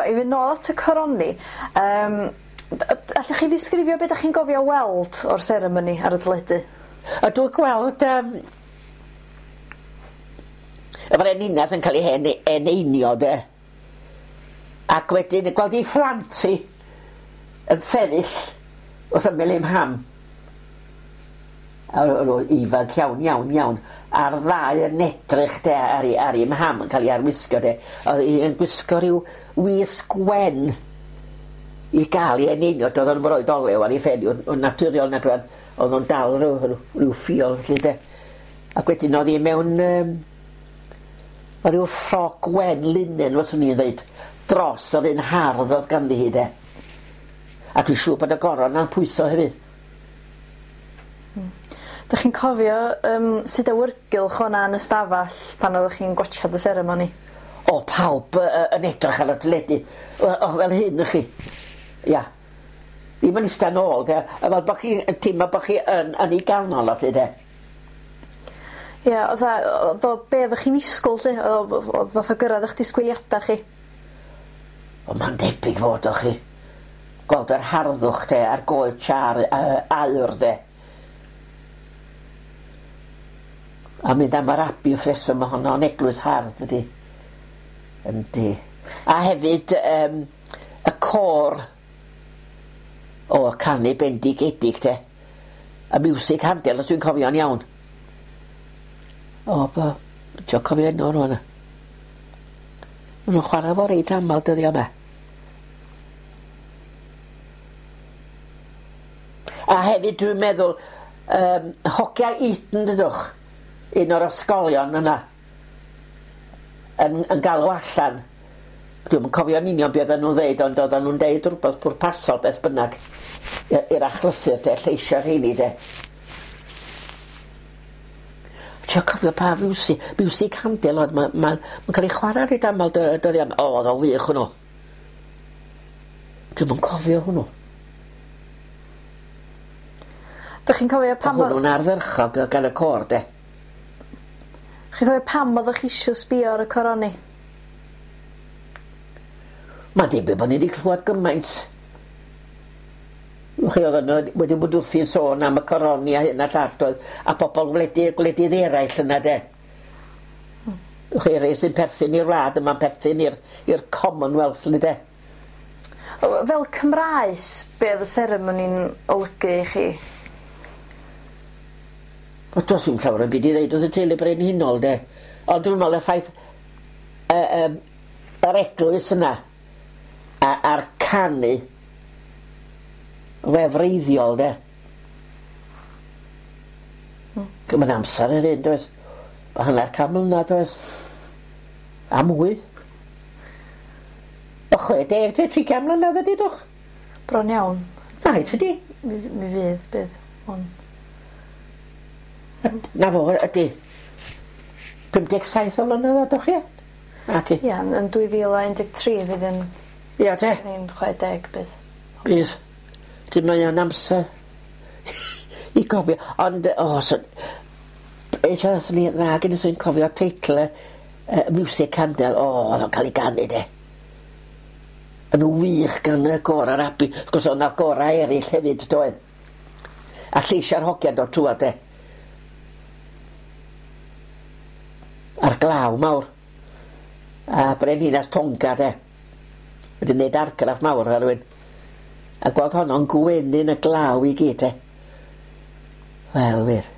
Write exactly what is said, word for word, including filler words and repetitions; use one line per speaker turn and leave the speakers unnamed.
i fynd nôl at y coroni, um, allwch chi ddisgrifio beth ydych chi'n gofio weld o'r seremoni ar y teledu?
A dwi'n gweld um, y frenhines yn cael ei hen, eneinio de. Ac wedyn gweld ei phlant hi yn sefyll wrth ymyl ei mham. A o'n nhw ifanc iawn, iawn, iawn. A'r ddau yn edrych de ar ei, ar ei mham yn cael ei arwisgo de. Oedd hi yn gwisgo rhyw wisg wen i gael ei eneinio. Doedd o'n roed olew ar ei phen yn yn naturiol nag oedd oedd o'n dal rhyw, rhyw, rhyw ffiol felly de. Ac wedyn oedd hi mewn um, rhyw ffrog wen linen fyswn i'n dweud dros yr un hardd oedd ganddi hi de. A dwi'n siŵr bod y goron na'n pwyso hefyd.
Dych chi'n cofio um, sut awyrgylch o'na yn y stafell pan oeddech chi'n gwatsiad y seremoni?
O, pawb uh, yn edrych ar y teledu. O, o, fel hyn ych chi. Ia. Ddim yn eistedd nôl, de. A fel bod chi yn teimlo bod chi yn, yn ei ganol, felly, de.
Ie, oedd o, oedd o be oeddech chi'n ddisgwyl, lle? Oedd o- oedd fath o gyrraedd eich disgwyliadau chi?
O, mae'n debyg fod o chi. Gweld yr harddwch, de, a'r goed siar, uh, aur, de. A mynd am yr abi wrth reswm, mae honno'n eglwys hardd, ydi. Yndi. A hefyd, um, y côr o canu bendigedig, de. Y miwsig Handel, os dwi'n cofio'n iawn. O, bo, ti'n cofio enw nhw yna. Maen nhw'n chwarae fo reit aml dyddiau yma. A hefyd dwi'n meddwl, um, hogia Eton, dydwch, un o'r ysgolion yna, yn, yn galw allan. Dwi'm yn cofio'n union beth oedden nhw'n ddeud, ond oedden nhw'n deud rhywbeth pwrpasol beth bynnag i'r achlysur de, lleisiau rheini de. Ti'n cofio pa fiwsig, miwsig Handel oedd, mae'n ma, ma cael ei chwarae reit aml dyddiau yma. O, oedd o'n wych hwnnw. Dwi'm yn cofio hwnnw.
Dych chi'n cofio pam...
Hwnnw'n ardderchog gan y côr de.
Chi'n cofio pam oeddech chi isio sbio ar y coroni?
Mae'n debyg bod ni wedi clywed gymaint. Chi oedd yno wedi bod wrthi'n sôn am y coroni a hyn a llall doedd, a pobl gwledydd, gwledydd eraill yna de. Mm. Chi rei sy'n perthyn i'r wlad yma'n perthyn i'r i'r Commonwealth ni de.
Fel Cymraes, be oedd y seremoni'n olygu i chi?
O, does dim llawer o byd i ddeud wrth y teulu brenhinol de. Ond dwi'n meddwl y ffaith y, y, yr eglwys yna a, a'r canu wefreiddiol de. Mm. Mae'n amser yr un, does? Mae hanner can mlynedd, does? A mwy. O chwe deg, te, tri can mlynedd ydi, dwch?
Bron iawn.
Na, ydy.
Mi, mi fydd, bydd. Ond...
Na fo, ydy. pum deg saith o flynedd, ydwch chi? Ac i.
Ia, yn dwy fil a un deg tri fydd yn...
Ia, te.
Yn chwe deg, bydd.
Bydd. Dyn mae o'n amser i gofio. Ond, o, oh, so, eisiau os ni, na, gen i sy'n cofio teitl y uh, Music Handel. O, oh, oedd o'n cael ei ganu, de. Yn wych gan y gôr yr abi. Wrth gwrs, oedd yna gorau eraill hefyd, doedd. A lleisiau'r hogiau dod trwad, de. A'r glaw mawr. A brenhines Tonga, de. Wedi wneud argraff mawr ar rywun. A gweld honno'n gwenu yn y glaw i gyd, e. Wel, wir.